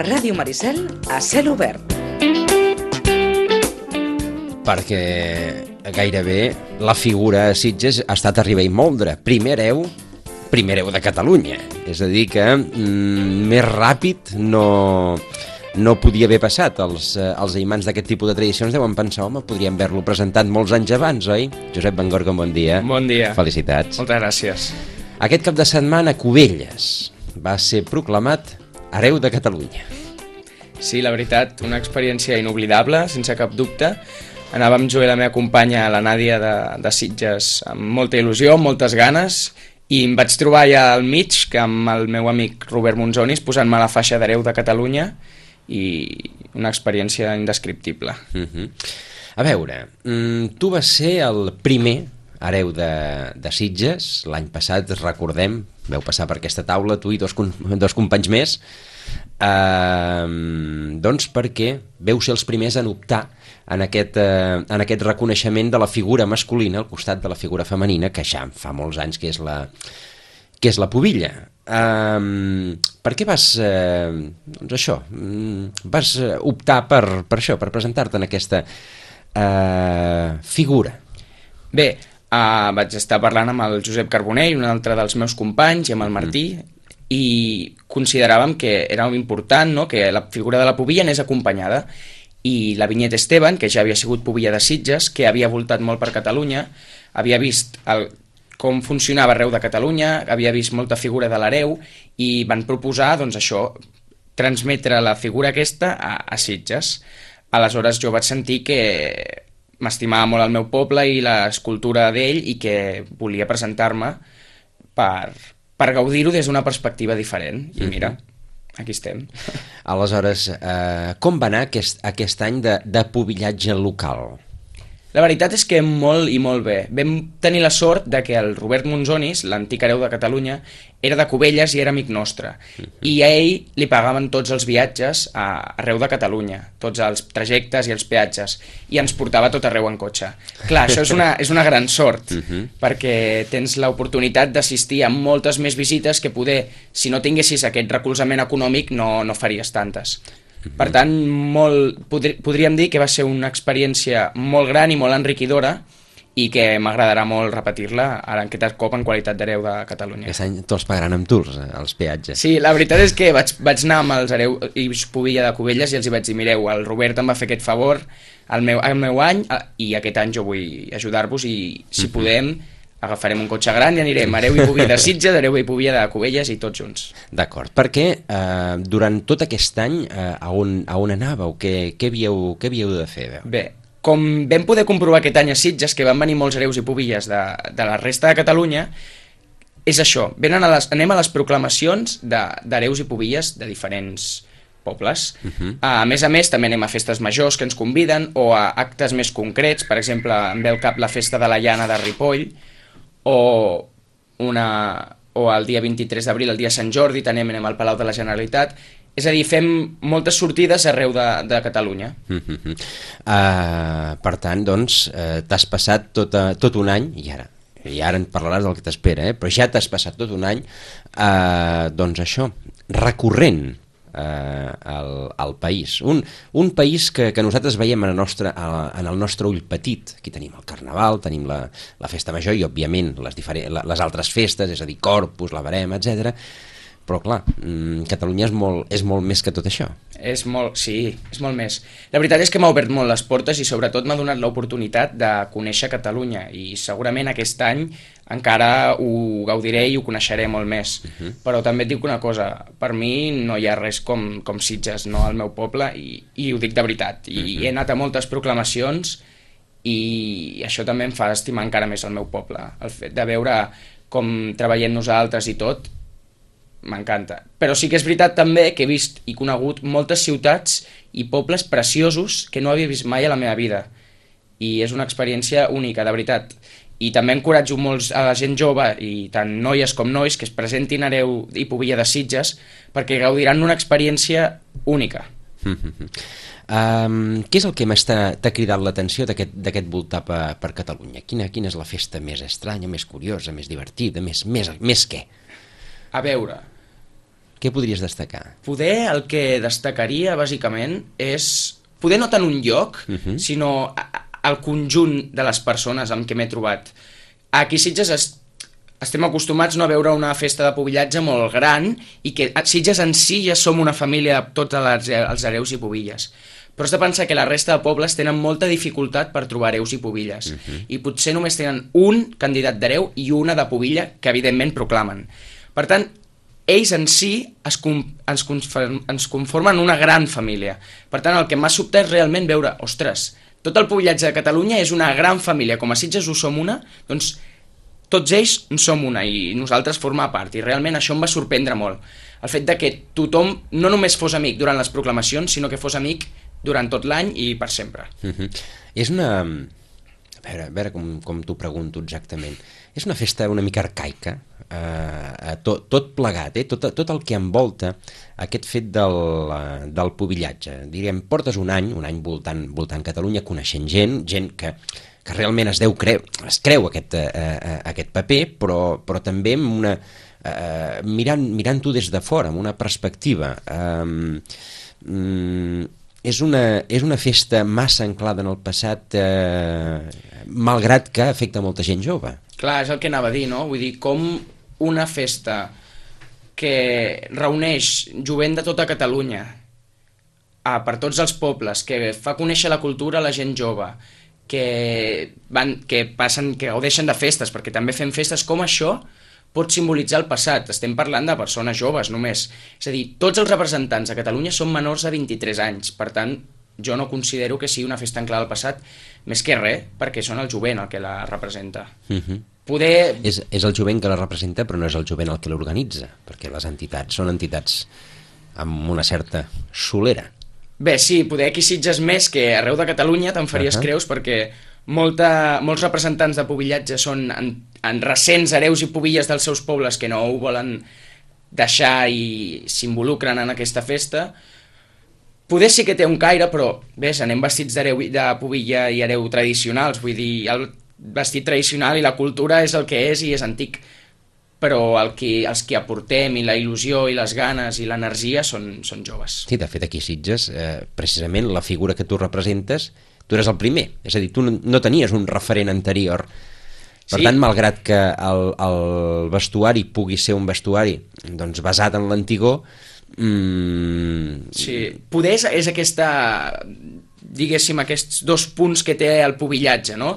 Ràdio Maricel, a cel obert. Perquè gairebé la figura a Sitges ha estat Ribell Moldre, primer hereu de Catalunya. És a dir que més ràpid no podia haver passat. Els imants d'aquest tipus de tradicions deuen pensar, home, podríem haver-lo presentat molts anys abans, oi? Josep Van Gorcom, bon dia. Bon dia. Felicitats. Moltes gràcies. Aquest cap de setmana, Cubelles va ser proclamat hereu de Catalunya. Sí, la veritat, una experiència inoblidable, sense cap dubte. Anàvem jo i la meva companya, la Nàdia de Sitges, amb molta il·lusió, amb moltes ganes, i em vaig trobar allà al mig, que amb el meu amic Robert Monzonis, posant-me la faixa d'hereu de Catalunya, i una experiència indescriptible. A veure, tu vas ser el primer hereu de Sitges. L'any passat, recordem, veu passar per aquesta taula, tu i dos companys més, doncs perquè veu ser els primers en optar en aquest reconeixement de la figura masculina al costat de la figura femenina, que ja fa molts anys que és la pubilla. Per què vas vas optar per això, per presentar-te en aquesta figura? Bé, vaig estar parlant amb el Josep Carbonell, un altre dels meus companys, i amb el Martí, i consideràvem que era important, no?, que la figura de la pubilla anés acompanyada. I la Vinyet Esteban, que ja havia sigut pubilla de Sitges, que havia voltat molt per Catalunya, havia vist com funcionava arreu de Catalunya, havia vist molta figura de l'hereu, i van proposar, doncs això, transmetre la figura aquesta a Sitges. Aleshores jo vaig sentir que m'estimava molt el meu poble i l'escultura d'ell, i que volia presentar-me per gaudir-ho des d'una perspectiva diferent. I mira, aquí estem. Aleshores, com va anar aquest any de pubillatge local? La veritat és que molt i molt bé. Vam tenir la sort de que el Robert Monzonis, l'antic hereu de Catalunya, era de Cubelles i era amic nostre. I a ell li pagaven tots els viatges arreu de Catalunya, tots els trajectes i els peatges, i ens portava tot arreu en cotxe. Clar, això és una gran sort, perquè tens l'oportunitat d'assistir a moltes més visites que poder, si no tinguessis aquest recolzament econòmic, no faries tantes. Per tant, podríem dir que va ser una experiència molt gran i molt enriquidora, i que m'agradarà molt repetir-la ara aquest cop en qualitat d'hereu de Catalunya. Aquest any te'ls pagaran amb tours, els peatges. Sí, la veritat és que vaig anar amb els hereu i pubilla de Cubelles i els hi vaig dir, mireu, el Robert em va fer aquest favor el meu any, i aquest any jo vull ajudar-vos, i si podem agafarem un cotxe gran i anirem hereu i pubilla de Sitges, hereu i pubilla de Cubelles i tots junts. D'acord, perquè durant tot aquest any a on anàveu? Què havíeu de fer? Bé, com vam poder comprovar aquest any a Sitges, que van venir molts hereus i pubilles de la resta de Catalunya, és això, anem a les proclamacions d'hereus i pubilles de diferents pobles. A més, també anem a festes majors que ens conviden, o a actes més concrets. Per exemple, em ve al cap la festa de la Llana de Ripoll, o el dia 23 d'abril, el dia Sant Jordi, també anem al Palau de la Generalitat. És a dir, fem moltes sortides arreu de Catalunya. Per tant, doncs, t'has passat tot un any, i ara en parlaràs del que t'espera, però ja t'has passat tot un any, doncs això, recorrent al país. Un país que nosaltres veiem en el nostre ull petit. Aquí tenim el Carnaval, tenim la Festa Major i, òbviament, les altres festes, és a dir, Corpus, la Verema, etc. Però, clar, Catalunya és molt més que tot això. Sí, és molt més. La veritat és que m'ha obert molt les portes i sobretot m'ha donat l'oportunitat de conèixer Catalunya, i segurament aquest any encara ho gaudiré i ho coneixeré molt més. Però també et dic una cosa, per mi no hi ha res com Sitges, no, el meu poble, i ho dic de veritat. I he anat a moltes proclamacions i això també em fa estimar encara més el meu poble. El fet de veure com treballem nosaltres i tot, m'encanta. Però sí que és veritat també que he vist i conegut moltes ciutats i pobles preciosos que no havia vist mai a la meva vida. I és una experiència única, de veritat. I també encoratjo molts a la gent jove, i tant noies com nois, que es presentin hereu i pubilla de Sitges, perquè gaudiran d'una experiència única. Què és el que més t'ha cridat l'atenció d'aquest voltar per Catalunya? Quina és la festa més estranya, més curiosa, més divertida, més què? A veure, Què podries destacar? Poder el que destacaria, bàsicament, és... Poder no tant un lloc, sinó el conjunt de les persones amb què m'he trobat. Aquí a Sitges estem acostumats no, a veure una festa de pubillatge molt gran i que a Sitges en si ja som una família de tots els hereus i pubilles. Però has de pensar que la resta de pobles tenen molta dificultat per trobar hereus i pubilles. I potser només tenen un candidat d'hereu i una de pubilla que evidentment proclamen. Per tant, ells en si ens conformen una gran família. Per tant, el que m'ha sobtat és realment veure, ostres, tot el pubillatge de Catalunya és una gran família, com a Sitges ho som una, doncs tots ells en som una i nosaltres formar part, i realment això em va sorprendre molt. El fet de que tothom no només fos amic durant les proclamacions, sinó que fos amic durant tot l'any i per sempre. És una... A veure com t'ho pregunto exactament. És una festa una mica arcaica, tot plegat, tot el que envolta aquest fet del pubillatge. Diríem, portes un any voltant Catalunya, coneixent gent que realment es creu aquest paper, però també amb una, mirant-ho des de fora, amb una perspectiva. És una festa massa anclada en el passat, malgrat que afecta molta gent jove. Clar, és el que anava a dir, no? Vull dir, com una festa que reuneix jovent de tota Catalunya per tots els pobles, que fa conèixer la cultura a la gent jove, que gaudeixen de festes, perquè també fem festes, com això pot simbolitzar el passat. Estem parlant de persones joves només. És a dir, tots els representants de Catalunya són menors de 23 anys. Per tant, jo no considero que sigui una festa anclada al passat, més que res, perquè són el jovent el que la representa. És el jovent que la representa, però no és el jovent el que l'organitza, perquè les entitats són entitats amb una certa solera. Bé, sí, poder aquí Sitges més que arreu de Catalunya te'n faries creus, perquè molts representants de pubillatge són en recents hereus i pubilles dels seus pobles que no ho volen deixar i s'involucren en aquesta festa. Poder sí que té un caire, però bé, anem vestits de pubilla i hereu tradicionals, vull dir, el vestit tradicional i la cultura és el que és i és antic, però els que aportem i la il·lusió i les ganes i l'energia són joves. Sí, de fet aquí a Sitges, precisament la figura que tu representes, tu eres el primer, és a dir, tu no tenies un referent anterior. Per tant, malgrat que el vestuari pugui ser un vestuari doncs, basat en l'antigor... Sí, poder és aquesta, diguéssim, aquests dos punts que té el pubillatge, no?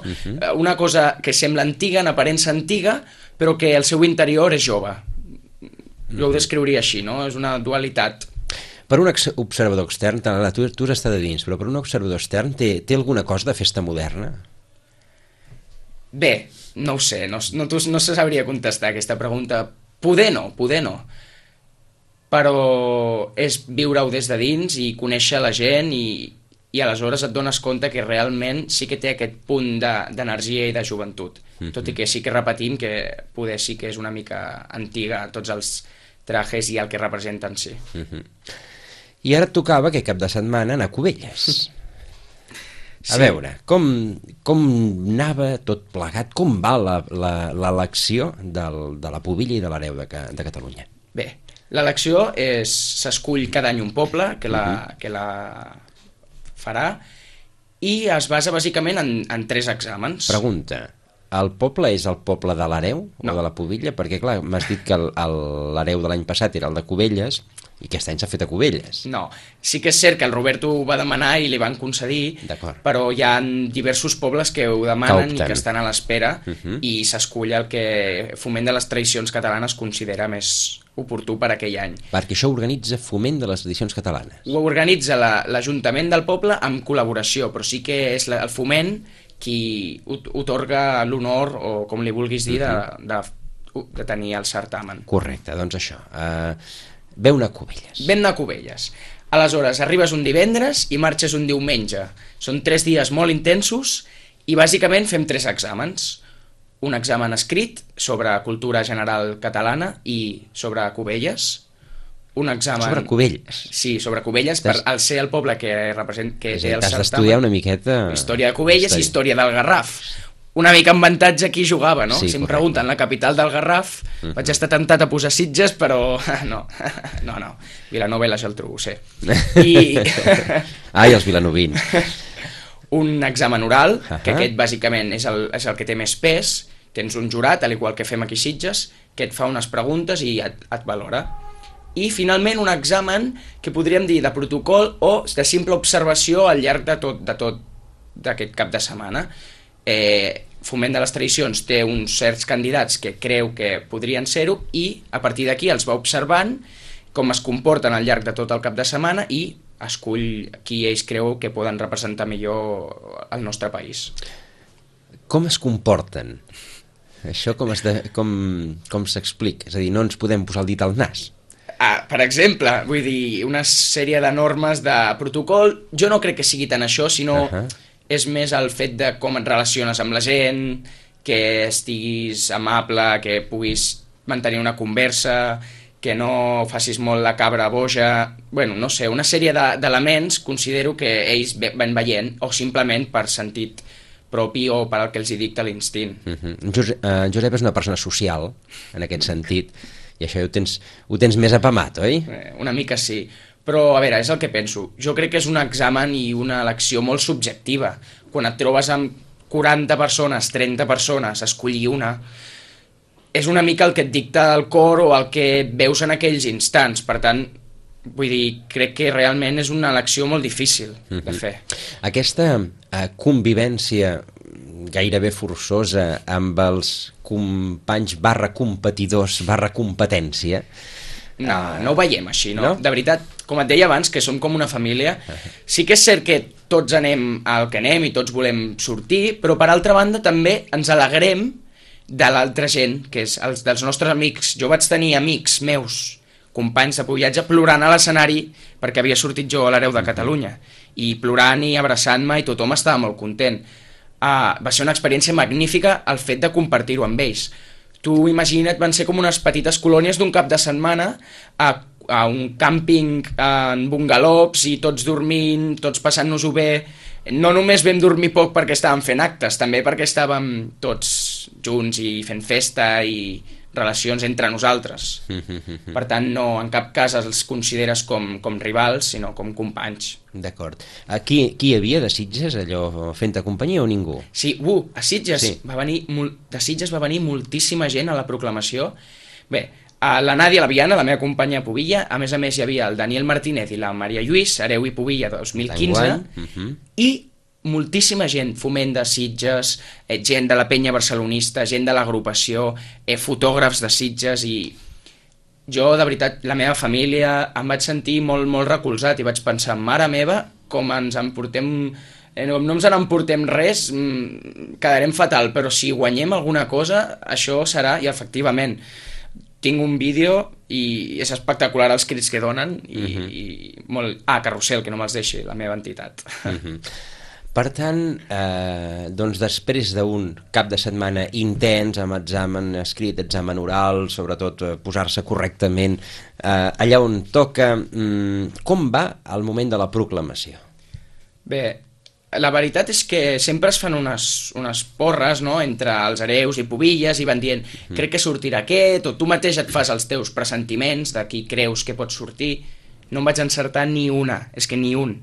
Una cosa que sembla antiga, en aparença antiga, però que el seu interior és jove. Jo ho descriuria així, no? És una dualitat. Per un observador extern, tu has estat a dins, però per un observador extern té alguna cosa de festa moderna? Bé, no ho sé, no se sabria contestar aquesta pregunta. Poder no, però és viure-ho des de dins i conèixer la gent i aleshores et dones compte que realment sí que té aquest punt d'energia i de joventut, tot i que sí que repetim que poder sí que és una mica antiga tots els trajes i el que representen, sí. I ara et tocava aquest cap de setmana anar a Cubelles. A veure, com anava tot plegat, com va l'elecció de la pubilla i de l'hereu de Catalunya? Bé, l'elecció s'escull cada any un poble que la farà i es basa bàsicament en 3 exàmens. Pregunta, el poble és el poble de l'hereu o de la pubilla? Perquè clar, m'has dit que l'hereu de l'any passat era el de Cubelles i aquest any s'ha fet a Cubelles. No, sí que és cert que el Roberto ho va demanar i li van concedir, però hi ha diversos pobles que ho demanen i que estan a l'espera i s'escull el que Foment de les Tradicions Catalanes considera més oportú per aquell any. Perquè això organitza Foment de les Tradicions Catalanes. Ho organitza l'Ajuntament del poble amb col·laboració, però sí que és el Foment qui otorga l'honor, o com li vulguis dir, de tenir el certamen. Correcte, doncs això. Veu anar a Cubelles. Vam anar a Cubelles. Aleshores, arribes un divendres i marxes un diumenge. Són 3 dies molt intensos i bàsicament fem 3 exàmens. Un examen escrit sobre cultura general catalana i sobre Cubelles. Un examen... Sobre Cubelles? Sí, sobre Cubelles, al ser el poble que té el certamen. T'has d'estudiar una miqueta... Història de Cubelles i història del Garraf. una mica en avantatge qui jugava, no? Sí, si em correcte. pregunten la capital del Garraf, vaig estar tentat a posar Sitges, però no, Vilanova i la Geltrú, ho sé. I Ai, els vilanovins. un examen oral, que Ahà. aquest bàsicament és el que té més pes, tens un jurat, al igual que fem aquí a Sitges, que et fa unes preguntes i et valora. I finalment un examen que podríem dir de protocol o de simple observació al llarg de tot d'aquest cap de setmana. Foment de les Tradicions té uns certs candidats que creu que podrien ser-ho i a partir d'aquí els va observant com es comporten al llarg de tot el cap de setmana i escull qui ells creu que poden representar millor el nostre país. Com es comporten? Això com s'explica? És a dir, no ens podem posar el dit al nas. Per exemple, vull dir, una sèrie de normes de protocol, jo no crec que sigui tant això, sinó és més el fet de com et relaciones amb la gent, que estiguis amable, que puguis mantenir una conversa, que no facis molt la cabra boja... Bueno, no sé, una sèrie d'elements considero que ells van veient, o simplement per sentit propi o per al que els hi dicta l'instint. Josep és una persona social, en aquest sentit, i això ho tens més apamat, oi? Una mica sí, però a veure, és el que penso. Jo crec que és un examen i una elecció molt subjectiva. Quan et trobes amb 40 persones, 30 persones, escollir una, és una mica el que et dicta el cor o el que veus en aquells instants. Per tant, vull dir, crec que realment és una elecció molt difícil de fer. Aquesta convivència gairebé forçosa amb els companys /competidors /competència... No ho veiem així, no? De veritat, com et deia abans, que som com una família, sí que és cert que tots anem al que anem i tots volem sortir, però per altra banda també ens alegrem de l'altra gent, que és dels nostres amics. Jo vaig tenir amics meus, companys de viatge, plorant a l'escenari perquè havia sortit jo a l'Hereu de Catalunya, i plorant i abraçant-me, i tothom estava molt content. Va ser una experiència magnífica el fet de compartir-ho amb ells. Tu imagina't, van ser com unes petites colònies d'un cap de setmana a un càmping en bungalows i tots dormint, tots passant-nos-ho bé. No només vam dormir poc perquè estàvem fent actes, també perquè estàvem tots junts i fent festa i relacions entre nosaltres. Per tant, no, en cap cas els consideres com rivals, sinó com companys. D'acord. Qui hi havia de Sitges, allò, fent-te companyia o ningú? Sí, a Sitges sí. De Sitges va venir moltíssima gent a la proclamació. Bé, la Nàdia Laviana, la meva companya a Pubilla, a més hi havia el Daniel Martínez i la Maria Lluís, Hereu i Pubilla 2015, i moltíssima gent, Foment de Sitges, gent de la penya barcelonista, gent de l'agrupació, fotògrafs de Sitges, i jo, de veritat, la meva família, em vaig sentir molt, molt recolzat i vaig pensar, mare meva, com ens emportem... no ens n'emportem res, quedarem fatal, però si guanyem alguna cosa, això serà, i efectivament, tinc un vídeo i és espectacular els crits que donen, i molt... Carrusel, que no me'ls deixi, la meva entitat. Per tant, doncs després d'un cap de setmana intens, amb examen escrit, examen oral, sobretot posar-se correctament allà on toca, com va el moment de la proclamació? Bé, la veritat és que sempre es fan unes porres, no?, entre els hereus i Pubilles, i van dient, crec que sortirà aquest, o tu mateix et fas els teus pressentiments de qui creus que pot sortir. No em vaig encertar ni una, és que ni un.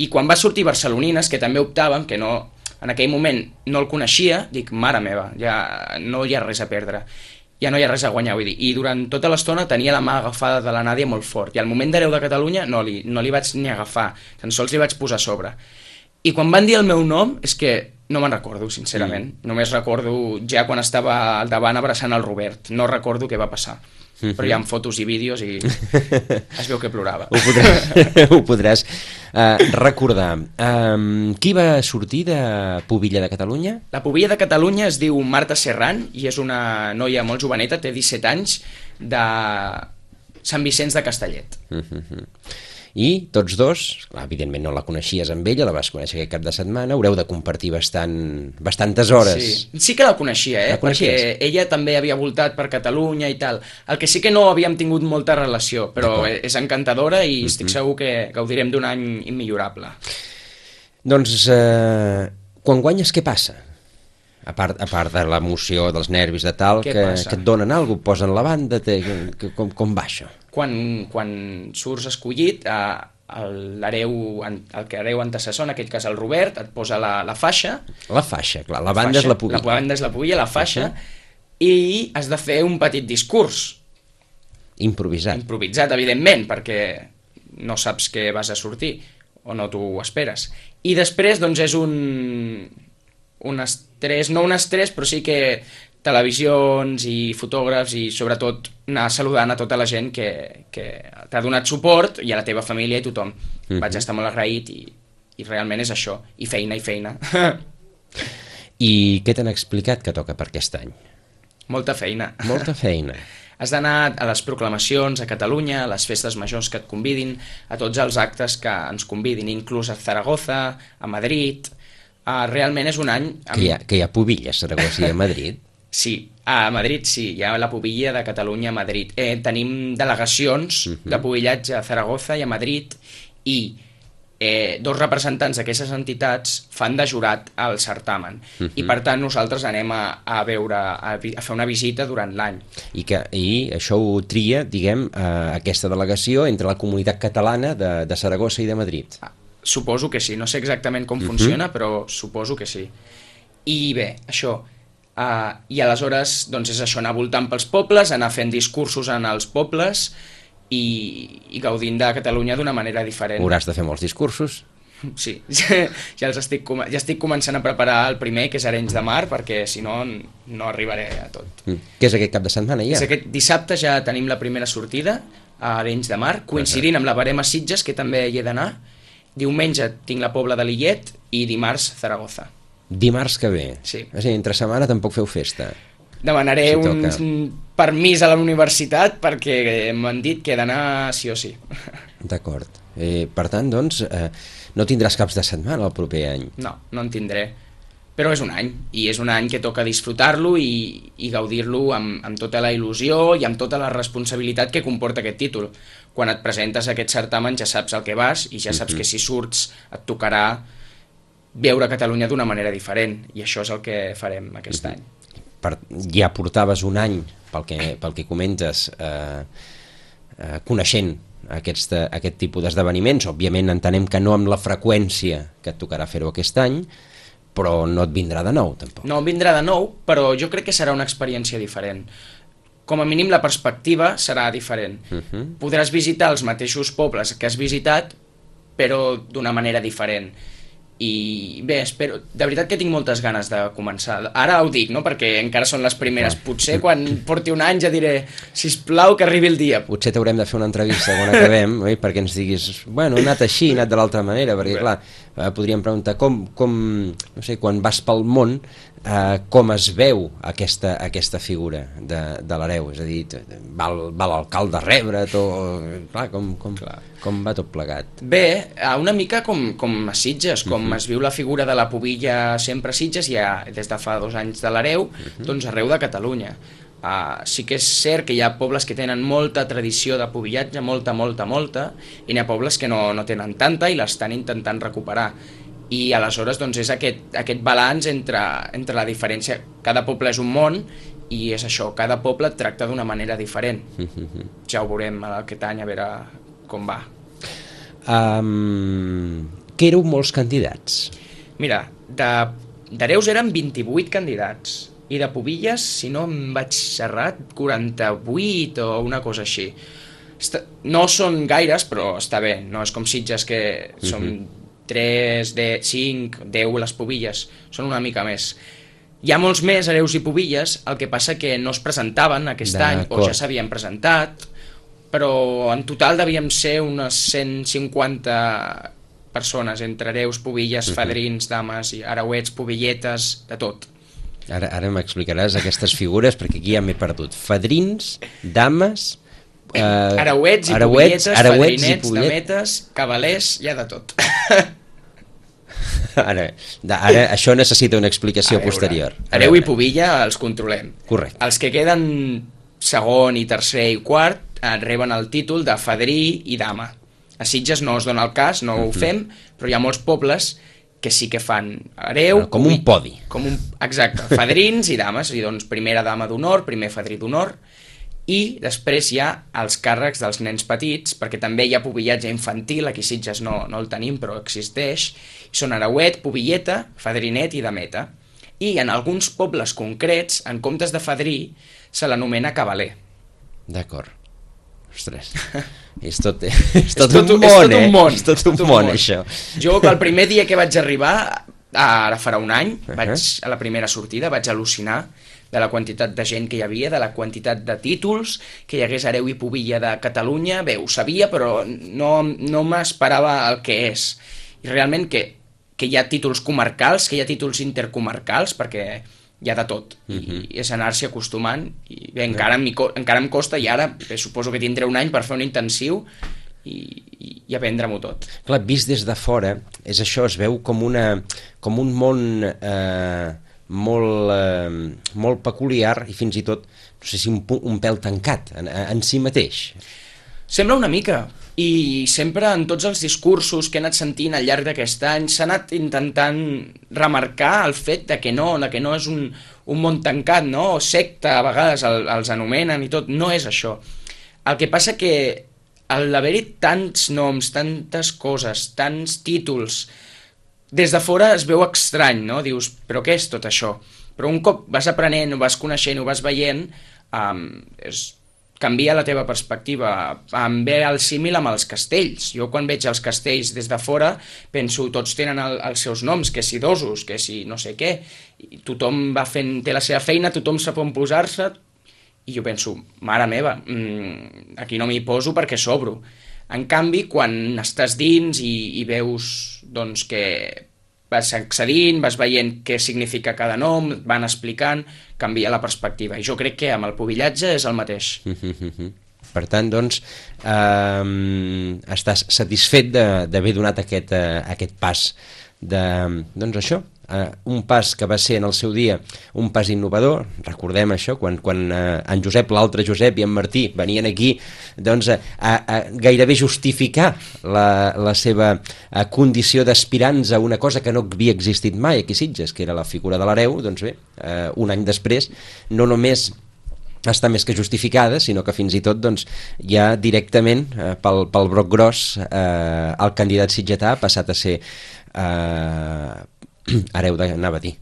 I quan va sortir Barcelonines, que també optàvem, que no, en aquell moment no el coneixia, dic, mare meva, ja no hi ha res a perdre, ja no hi ha res a guanyar, vull dir. I durant tota l'estona tenia la mà agafada de la Nàdia molt fort, i al moment d'Hereu de Catalunya no li vaig ni agafar, tan sols li vaig posar a sobre. I quan van dir el meu nom, és que no me'n recordo, sincerament. Només recordo ja quan estava al davant abraçant el Robert. No recordo què va passar. Però hi ha fotos i vídeos i es veu que plorava. Ho podràs recordar. Qui va sortir de Pubilla de Catalunya? La Pubilla de Catalunya es diu Marta Serran i és una noia molt joveneta, té 17 anys, de Sant Vicenç de Castellet. I tots dos, evidentment no la coneixies amb ella, la vas conèixer aquest cap de setmana, haureu de compartir bastantes hores. Sí que la coneixia, perquè ella també havia voltat per Catalunya i tal. El que sí que no havíem tingut molta relació, però és encantadora i estic segur que gaudirem d'un any immillorable. Doncs, quan guanyes, què passa? A part de l'emoció, dels nervis de tal, que et donen alguna cosa, posen la banda, com va això? Quan surts escollit, l'hereu, el que hereu antecessor, en aquell cas el Robert, et posa la faixa. La faixa, clar, la banda és la pubilla. La banda és la pubilla, la faixa, i has de fer un petit discurs. Improvisat. Improvisat, evidentment, perquè no saps què vas a sortir, o no t'ho esperes. I després, doncs, és un estrès, no un estrès, però sí que televisions i fotògrafs i sobretot anar saludant a tota la gent que t'ha donat suport i a la teva família i tothom. Vaig estar molt agraït i realment és això, i feina i feina. I què t'han explicat que toca per aquest any? Molta feina. Molta feina. Has d'anar a les proclamacions a Catalunya, a les festes majors que et convidin, a tots els actes que ens convidin, inclús a Zaragoza, a Madrid. Realment és un any... Que hi ha pubilles, Saragossa i a Madrid? Sí, a Madrid sí, hi ha la pubilla de Catalunya a Madrid. Tenim delegacions de pubillatge a Zaragoza i a Madrid i dos representants d'aquestes entitats fan de jurat al certamen i per tant nosaltres anem a veure, a fer una visita durant l'any. I això ho tria, diguem, aquesta delegació entre la comunitat catalana de Saragossa i de Madrid? Suposo que sí, no sé exactament com funciona, però suposo que sí. I bé, això, i aleshores doncs és això, anar voltant pels pobles, anar fent discursos en els pobles i gaudint de Catalunya d'una manera diferent. Hauràs de fer molts discursos? Sí, ja estic començant a preparar el primer, que és Arenys de Mar, perquè si no, no arribaré a tot. Què és aquest cap de setmana ja? Aquest dissabte ja tenim la primera sortida a Arenys de Mar, coincidint amb la Verema Sitges, que també hi he d'anar. Diumenge tinc la Pobla de Lillet i dimarts Zaragoza. Dimarts que ve? Sí. És a dir, entre setmana tampoc feu festa? Demanaré un permís a la universitat perquè m'han dit que he d'anar sí o sí. D'acord. Per tant, doncs, no tindràs caps de setmana el proper any? No, no en tindré. Però és un any, i és un any que toca disfrutar-lo i gaudir-lo amb tota la il·lusió i amb tota la responsabilitat que comporta aquest títol. Quan et presentes a aquest certamen ja saps el que vas i ja saps que si surts et tocarà veure Catalunya d'una manera diferent, i això és el que farem aquest any. Ja portaves un any, pel que comentes, coneixent aquest tipus d'esdeveniments. Òbviament entenem que no amb la freqüència que et tocarà fer-ho aquest any, però no et vindrà de nou, tampoc. No em vindrà de nou, però jo crec que serà una experiència diferent. Com a mínim la perspectiva serà diferent. Podràs visitar els mateixos pobles que has visitat, però d'una manera diferent. I bé, espero, de veritat que tinc moltes ganes de començar. Ara ho dic, no?, perquè encara són les primeres. Potser quan porti un any ja diré, sisplau, que arribi el dia. Potser t'haurem de fer una entrevista quan acabem, oi? Perquè ens diguis, bueno, he anat així, he anat de l'altra manera, perquè clar, podríem preguntar com, no sé, quan vas pel món, com es veu aquesta figura de l'hereu, és a dir, va l'alcalde a rebre't, clar, com va tot plegat? Bé, una mica com a Sitges, com es viu la figura de la pubilla sempre a Sitges, ja des de fa 2 anys de l'hereu, doncs arreu de Catalunya. Sí que és cert que hi ha pobles que tenen molta tradició de pubillatge, molta, i n'hi ha pobles que no tenen tanta i l'estan intentant recuperar. I aleshores doncs, és aquest balanç entre la diferència. Cada poble és un món i és això, cada poble et tracta d'una manera diferent. Ja ho veurem aquest any, a veure com va. Que éreu molts candidats? Mira, d'hereus eren 28 candidats i de pubilles, si no em vaig errat, 48 o una cosa així. No són gaires, però està bé, no és com Sitges que són 3, 5, 10 les pubilles, són una mica més. Hi ha molts més hereus i pubilles, el que passa que no es presentaven aquest any, o ja s'havien presentat, però en total devíem ser unes 150 persones, entre hereus, pubilles, fadrins, dames, hereuets, pubilletes, de tot. Ara m'explicaràs aquestes figures, perquè aquí ja m'he perdut. Fadrins, dames... hereuets i pubilletes, fadrinets, dametes, cavalers, hi ha de tot. Ara, això necessita una explicació posterior. Hereu i pubilla els controlem. Correcte. Els que queden segon i tercer i quart reben el títol de fadrí i dama. A Sitges no es dona el cas, no ho fem, però hi ha molts pobles que sí que fan hereu... Com un podi. Exacte, fadrins i dames, i doncs primera dama d'honor, primer fadrí d'honor, i després hi ha els càrrecs dels nens petits, perquè també hi ha pubillatge infantil, aquí a Sitges no el tenim, però existeix, són hereuet, pubilleta, fadrinet i dameta. I en alguns pobles concrets, en comptes de fadrí, se l'anomena cavaler. D'acord. Ostres, és tot un món, això. Jo, el primer dia que vaig arribar, ara farà un any, vaig a la primera sortida, vaig al·lucinar de la quantitat de gent que hi havia, de la quantitat de títols, que hi hagués hereu i pubilla de Catalunya. Bé, ho sabia, però no m'esperava el que és. I realment que hi ha títols comarcals, que hi ha títols intercomarcals, perquè hi ha de tot, i és anar-s'hi acostumant, i bé, encara em costa, i ara suposo que tindré un any per fer un intensiu i aprendre-m'ho tot. Clar, vist des de fora, és això, es veu com un món molt peculiar i fins i tot, no sé si un pèl tancat en si mateix. Sembla una mica, i sempre en tots els discursos que he anat sentint al llarg d'aquest any s'ha anat intentant remarcar el fet de que no és un món tancat, no? O secta, a vegades els anomenen i tot, no és això. El que passa que al haver-hi tants noms, tantes coses, tants títols, des de fora es veu estrany, no? Dius, però què és tot això? Però un cop vas aprenent, ho vas coneixent, ho vas veient, canvia la teva perspectiva. Em ve el símil amb els castells. Jo quan veig els castells des de fora penso, tots tenen els seus noms, que si dosos, que si no sé què, i tothom té la seva feina, tothom sap on posar-se, i jo penso, mare meva, aquí no m'hi poso perquè sobro. En canvi, quan estàs dins i veus doncs, que vas accedint, vas veient què significa cada nom, van explicant, canvia la perspectiva. I jo crec que amb el pubillatge és el mateix. Per tant, doncs, estàs satisfet d'haver donat aquest pas doncs això, un pas que va ser en el seu dia un pas innovador. Recordem això, quan en Josep, l'altre Josep i en Martí venien aquí doncs, a gairebé justificar la seva condició d'aspirants a una cosa que no havia existit mai aquí a Sitges, que era la figura de l'hereu. Doncs bé, un any després no només està més que justificada, sinó que fins i tot doncs, ja directament pel broc gros el candidat sitgetà ha passat a ser hereu anava a dir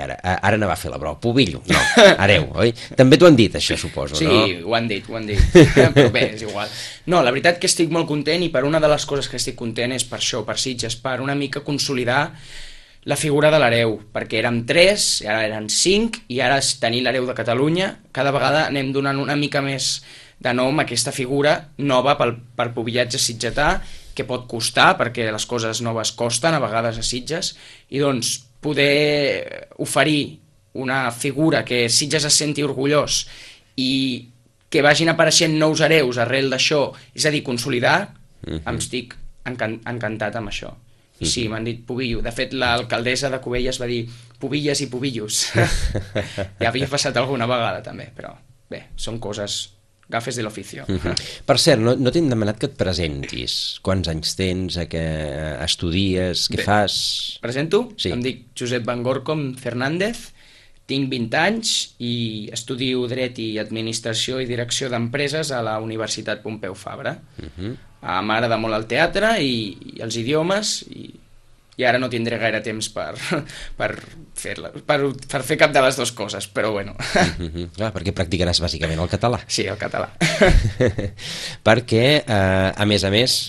ara anava a fer la broma, pubillo, no, hereu, oi? També t'ho han dit això, suposo, sí, no? Sí, ho han dit, però bé, és igual. No, la veritat que estic molt content, i per una de les coses que estic content és per això, per Sitges, per una mica consolidar la figura de l'hereu, perquè érem 3, i ara eren 5, i ara tenir l'hereu de Catalunya, cada vegada anem donant una mica més de nom a aquesta figura nova pel pubillatge sitgetà, que pot costar, perquè les coses noves costen a vegades a Sitges, i doncs poder oferir una figura que Sitges es senti orgullós i que vagin apareixent nous hereus arrel d'això, és a dir, consolidar, em estic encantat amb això. I sí, m'han dit pubillo. De fet, l'alcaldessa de Cubelles va dir pubilles i pubillos. Ja havia passat alguna vegada també, però bé, són coses... gafes de l'oficio. Per cert, no t'hem demanat que et presentis. Quants anys tens, què estudies, què fas? Presento? Sí. Em dic Josep Van Gorcom Fernández, tinc 20 anys i estudio Dret i Administració i Direcció d'Empreses a la Universitat Pompeu Fabra. M'agrada molt el teatre i els idiomes, i ara no tindré gaire temps per fer cap de les dues coses, però bueno. Clar, perquè practicaràs bàsicament el català. Sí, el català. Perquè, a més,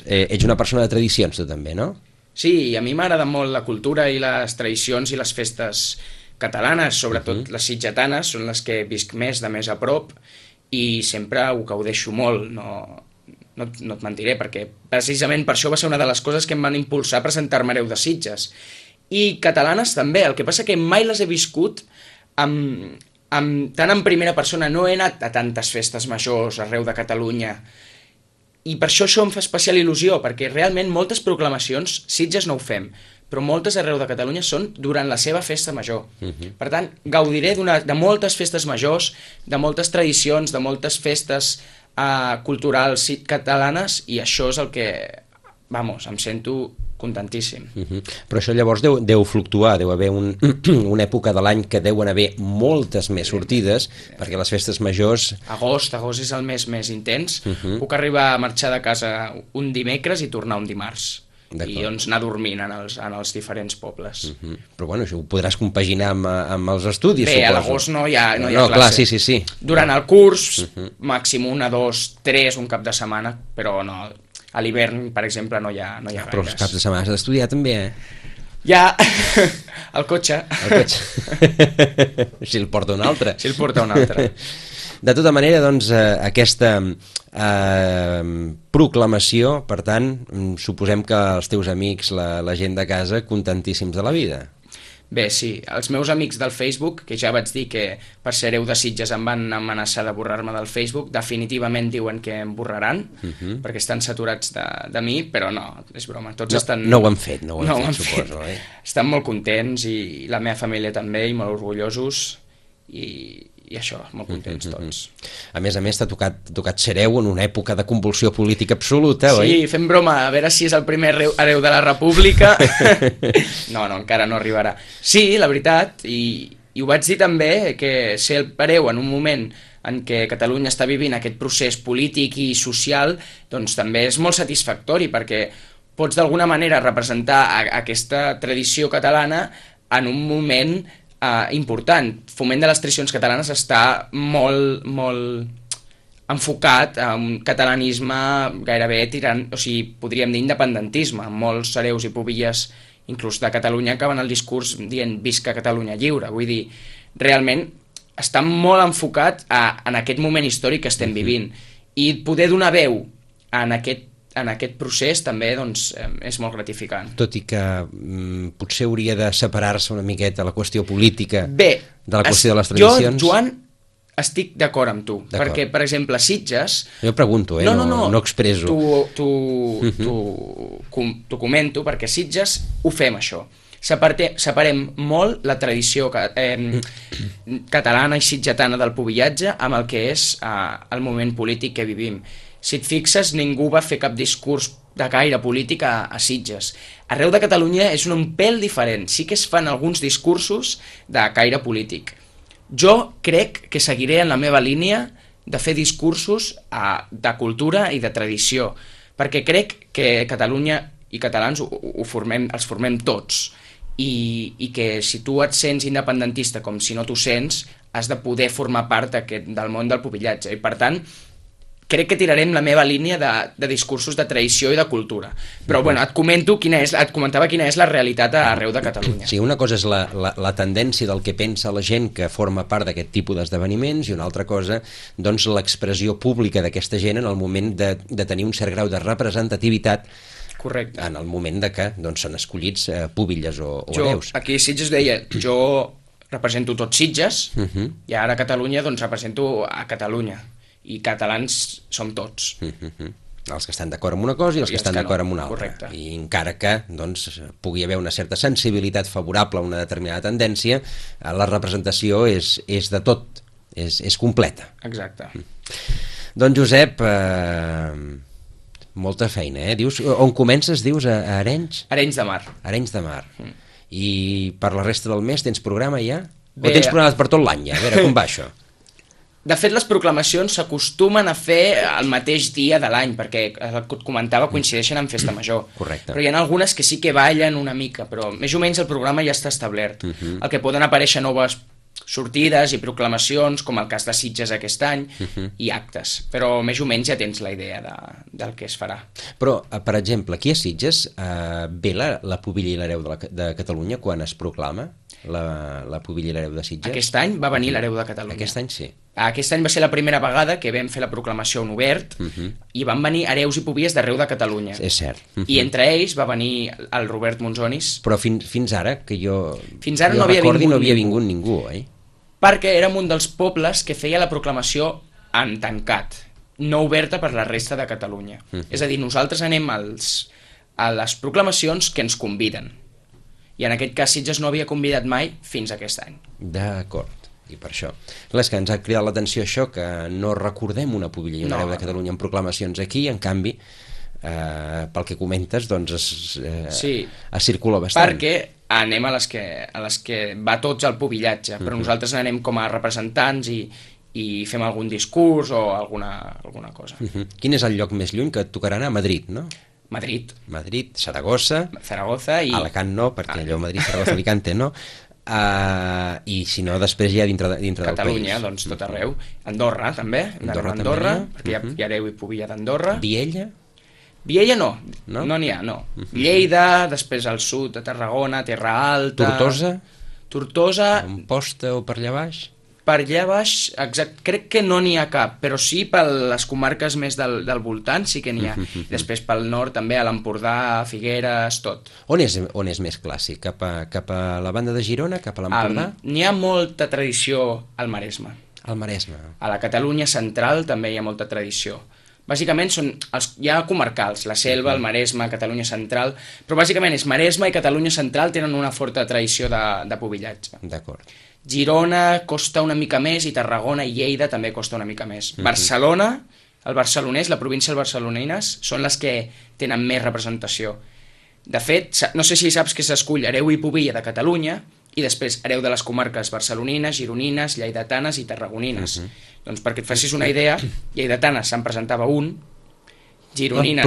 ets una persona de tradicions, tu també, no? Sí, a mi m'agrada molt la cultura i les tradicions i les festes catalanes, sobretot les sitgetanes, són les que visc més, de més a prop, i sempre ho gaudeixo molt, no et mentiré, perquè precisament per això va ser una de les coses que em van impulsar a presentar-me hereu de Sitges. I catalanes també, el que passa que mai les he viscut tant en primera persona, no he anat a tantes festes majors arreu de Catalunya, i per això em fa especial il·lusió, perquè realment moltes proclamacions, Sitges no ho fem, però moltes arreu de Catalunya són durant la seva festa major. Per tant, gaudiré de moltes festes majors, de moltes tradicions, de moltes festes culturals catalanes, i això és el que, em sento contentíssim. Però això llavors deu fluctuar, deu haver una època de l'any que deuen haver moltes més sortides, perquè les festes majors... Agost és el mes més intens. Puc arribar a marxar de casa un dimecres i tornar un dimarts. I doncs anar dormint en els diferents pobles. Però bueno, això ho podràs compaginar amb els estudis, bé, suposo. A l'agost no hi ha classe. Clar, sí. Durant el curs, màxim 1, 2, 3, un cap de setmana, però no, a l'hivern, per exemple, no hi ha gaires. Però els caps de setmana has d'estudiar també, Ja, el cotxe. Si el porta un altre. De tota manera, doncs, aquesta proclamació, per tant, suposem que els teus amics, la gent de casa, contentíssims de la vida. Bé, sí, els meus amics del Facebook, que ja vaig dir que per ser hereu de Sitges em van amenaçar de borrar-me del Facebook, definitivament diuen que em borraran, perquè estan saturats de mi, però no, és broma. Tots estan... No ho han fet, suposo. Estan molt contents i la meva família també, i molt orgullosos, i això, molt contents tots. A més, t'ha tocat ser hereu en una època de convulsió política absoluta, oi? Sí, fem broma, a veure si és el primer hereu de la República. No, encara no arribarà. Sí, la veritat, i ho vaig dir també, que ser el hereu en un moment en què Catalunya està vivint aquest procés polític i social, doncs també és molt satisfactori, perquè pots d'alguna manera representar aquesta tradició catalana en un moment important. Foment de les tradicions catalanes està molt enfocat a un catalanisme gairebé tirant, o sigui, podríem dir independentisme. Molts hereus i pubilles, inclús de Catalunya, acaben el discurs dient visca Catalunya lliure. Vull dir, realment està molt enfocat en aquest moment històric que estem vivint. I poder donar veu en aquest procés també doncs, és molt gratificant. Tot i que potser hauria de separar-se una miqueta la qüestió política de la qüestió de les tradicions. Jo, Joan, estic d'acord amb tu, perquè, per exemple, Sitges... Jo pregunto, no expresso. T'ho comento, perquè Sitges ho fem, això. Separem molt la tradició catalana i sitgetana del pubillatge amb el que és el moment polític que vivim. Si et fixes, ningú va fer cap discurs de gaire polític a Sitges. Arreu de Catalunya és un pèl diferent. Sí que es fan alguns discursos de gaire polític. Jo crec que seguiré en la meva línia de fer discursos de cultura i de tradició, perquè crec que Catalunya i catalans els formem tots, i que si tu et sents independentista com si no t'ho sents, has de poder formar part del món del pubillatge, i per tant crec que tirarem la meva línia de discursos de tradició i de cultura. Però bueno, et comentava quina és la realitat arreu de Catalunya. Sí, una cosa és la tendència del que pensa la gent que forma part d'aquest tipus d'esdeveniments, i una altra cosa, doncs, l'expressió pública d'aquesta gent en el moment de tenir un cert grau de representativitat. Correcte. En el moment de que són escollits pubilles o hereus. Aquí a Sitges deia, jo represento tots Sitges, i ara a Catalunya doncs represento a Catalunya. I catalans som tots. Els que estan d'acord amb una cosa i els que estan d'acord amb una altra. Correcte. I encara que doncs, pugui haver una certa sensibilitat favorable a una determinada tendència, la representació és de tot, és completa. Exacte. Doncs Josep, molta feina, Dius, on comences, dius, a Arenys? Arenys de Mar. Arenys de Mar. I per la resta del mes tens programa ja? O tens programes per tot l'any ja? A veure, com va això? De fet, les proclamacions s'acostumen a fer el mateix dia de l'any, perquè, el que et comentava, coincideixen amb Festa Major. Correcte. Però hi ha algunes que sí que ballen una mica, però més o menys el programa ja està establert. El que poden aparèixer noves sortides i proclamacions, com el cas de Sitges aquest any, i actes. Però més o menys ja tens la idea del que es farà. Però, per exemple, aquí a Sitges ve la pubilla i l'hereu de Catalunya quan es proclama la pubilla i l'hereu de Sitges? Aquest any va venir l'hereu de Catalunya. Aquest any sí. Aquest any va ser la primera vegada que vam fer la proclamació en obert i van venir hereus i pubilles d'arreu de Catalunya. És cert. I entre ells va venir el Robert Monzonis. Però fins ara, que jo no havia vingut ningú, oi? Perquè érem un dels pobles que feia la proclamació en tancat, no oberta per la resta de Catalunya. És a dir, nosaltres anem a les proclamacions que ens conviden. I en aquest cas Sitges no havia convidat mai fins aquest any. D'acord. I per això. Clar, és que ens ha cridat l'atenció això, que no recordem una pubilla i un hereu de Catalunya en proclamacions aquí, en canvi pel que comentes, doncs Sí. es circula bastant. Perquè anem a les que va tots al pubillatge, però nosaltres anem com a representants i fem algun discurs o alguna cosa. Quin és el lloc més lluny que et tocarà anar? A Madrid, no? Madrid, Saragossa, Zaragoza i Alacant no, perquè allò Madrid, Saragossa, Alicante no, i si no després ja dintre del país. Catalunya, doncs tot arreu. Andorra també, Andorra, perquè hi ha Areu i Pubilla d'Andorra. Viella? Viella no No? n'hi ha, no. Lleida, després al sud, a Tarragona, Terra Alta... Tortosa, Amposta o per allà baix? per allà baix, crec que no n'hi ha cap, però sí per les comarques més del voltant sí que n'hi ha. Després pel nord també, a l'Empordà, a Figueres, tot. On és més clàssic? Cap a la banda de Girona? Cap a l'Empordà? N'hi ha molta tradició al Maresme. Al Maresme. A la Catalunya central també hi ha molta tradició. Bàsicament hi ha comarcals, la Selva, el Maresme, Catalunya central, però bàsicament és Maresme i Catalunya central tenen una forta tradició de pubillatge. D'acord. Girona costa una mica més i Tarragona i Lleida també costa una mica més. Barcelona, el barcelonès, la província del barcelonines, són les que tenen més representació. De fet, no sé si saps que s'escull Areu i Pubilla de Catalunya i després Areu de les comarques barcelonines, gironines, lleidatanes i tarragonines. Doncs perquè et facis una idea, lleidatanes se'n presentava un, gironines...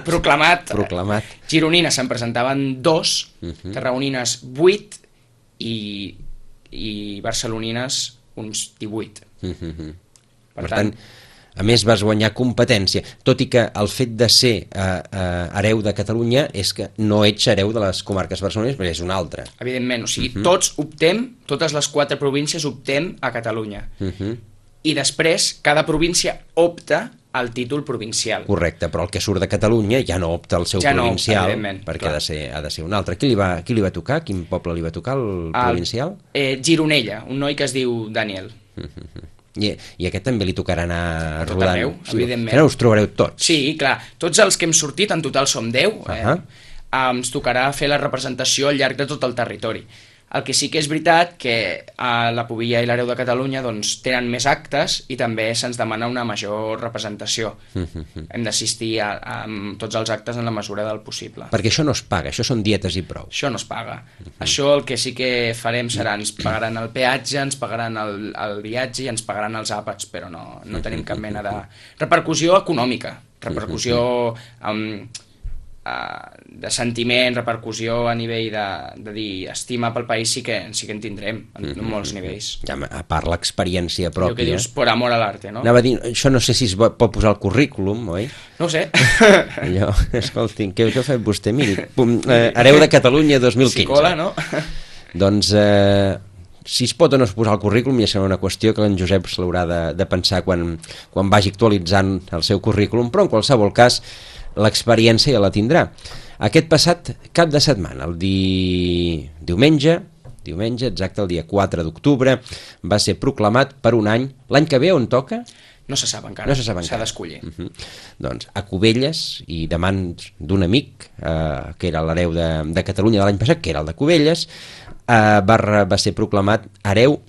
Proclamat. Gironines se'n presentaven 2, tarragonines 8 i barcelonines uns 18. Per tant, a més vas guanyar competència, tot i que el fet de ser hereu de Catalunya és que no ets hereu de les comarques barcelonines, perquè és un altre. Evidentment, o sigui, tots optem, totes les 4 províncies optem a Catalunya. I després, cada província opta al títol provincial. Correcte, però el que surt de Catalunya ja no opta al seu provincial, perquè clar. ha de ser un altre. Qui li va tocar? Quin poble li va tocar, el provincial? Gironella, un noi que es diu Daniel. I aquest també li tocarà anar tot rodant? Arreu, evidentment. Ara us trobareu tots? Sí, clar. Tots els que hem sortit, en total som 10, ens tocarà fer la representació al llarg de tot el territori. El que sí que és veritat que a la Pubilla i l'Areu de Catalunya doncs, tenen més actes i també se'ns demana una major representació. Hem d'assistir a tots els actes en la mesura del possible. Perquè això no es paga, això són dietes i prou. Això no es paga. Això el que sí que farem serà ens pagaran el peatge, ens pagaran el viatge i ens pagaran els àpats, però no tenim cap mena de repercussió econòmica, repercussió de sentiment, repercussió a nivell de dir estima pel país sí que en tindrem en molts nivells. Ja, a part l'experiència pròpia. El que dius, por amor a l'arte, no? Anava a dir, això no sé si es pot posar al currículum, oi? No ho sé. Allò, escolti, què ha fet vostè? Miri, hereu de Catalunya 2015. Psicola, no? Doncs, si es pot o no es posar al currículum ja serà una qüestió que en Josep se l'haurà de pensar quan vagi actualitzant el seu currículum, però en qualsevol cas l'experiència ja la tindrà. Aquest passat cap de setmana, el diumenge, exacte, el dia 4 d'octubre, va ser proclamat per un any. L'any que ve on toca? No se sap encara, s'ha d'escollir. Doncs a Cubelles, i de mans d'un amic, que era l'hereu de Catalunya de l'any passat, que era el de Cubelles, va ser proclamat hereu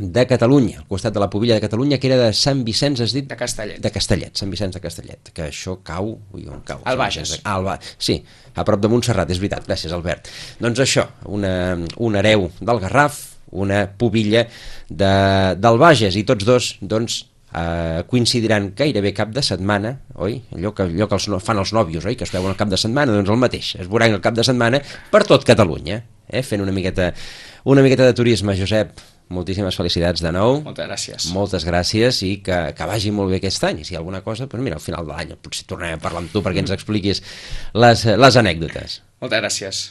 de Catalunya, al costat de la Pubilla de Catalunya, que era de Sant Vicenç, has dit? De Castellet. De Castellet, Sant Vicenç de Castellet, que això cau... Ui, on cau? Al Bages. Sí, a prop de Montserrat, és veritat, gràcies Albert. Doncs això, un hereu del Garraf, una Pubilla del Bages, i tots dos, doncs, coincidiran gairebé cap de setmana, oi? Allò que fan els nòvios, oi? Que es veuen el cap de setmana, doncs el mateix, es veuran el cap de setmana per tot Catalunya, fent una miqueta de turisme. Josep, moltíssimes felicitats de nou. Moltes gràcies. Moltes gràcies i que vagi molt bé aquest any. I si hi ha alguna cosa, doncs mira, al final de l'any potser tornarem a parlar amb tu perquè ens expliquis les anècdotes. Moltes gràcies.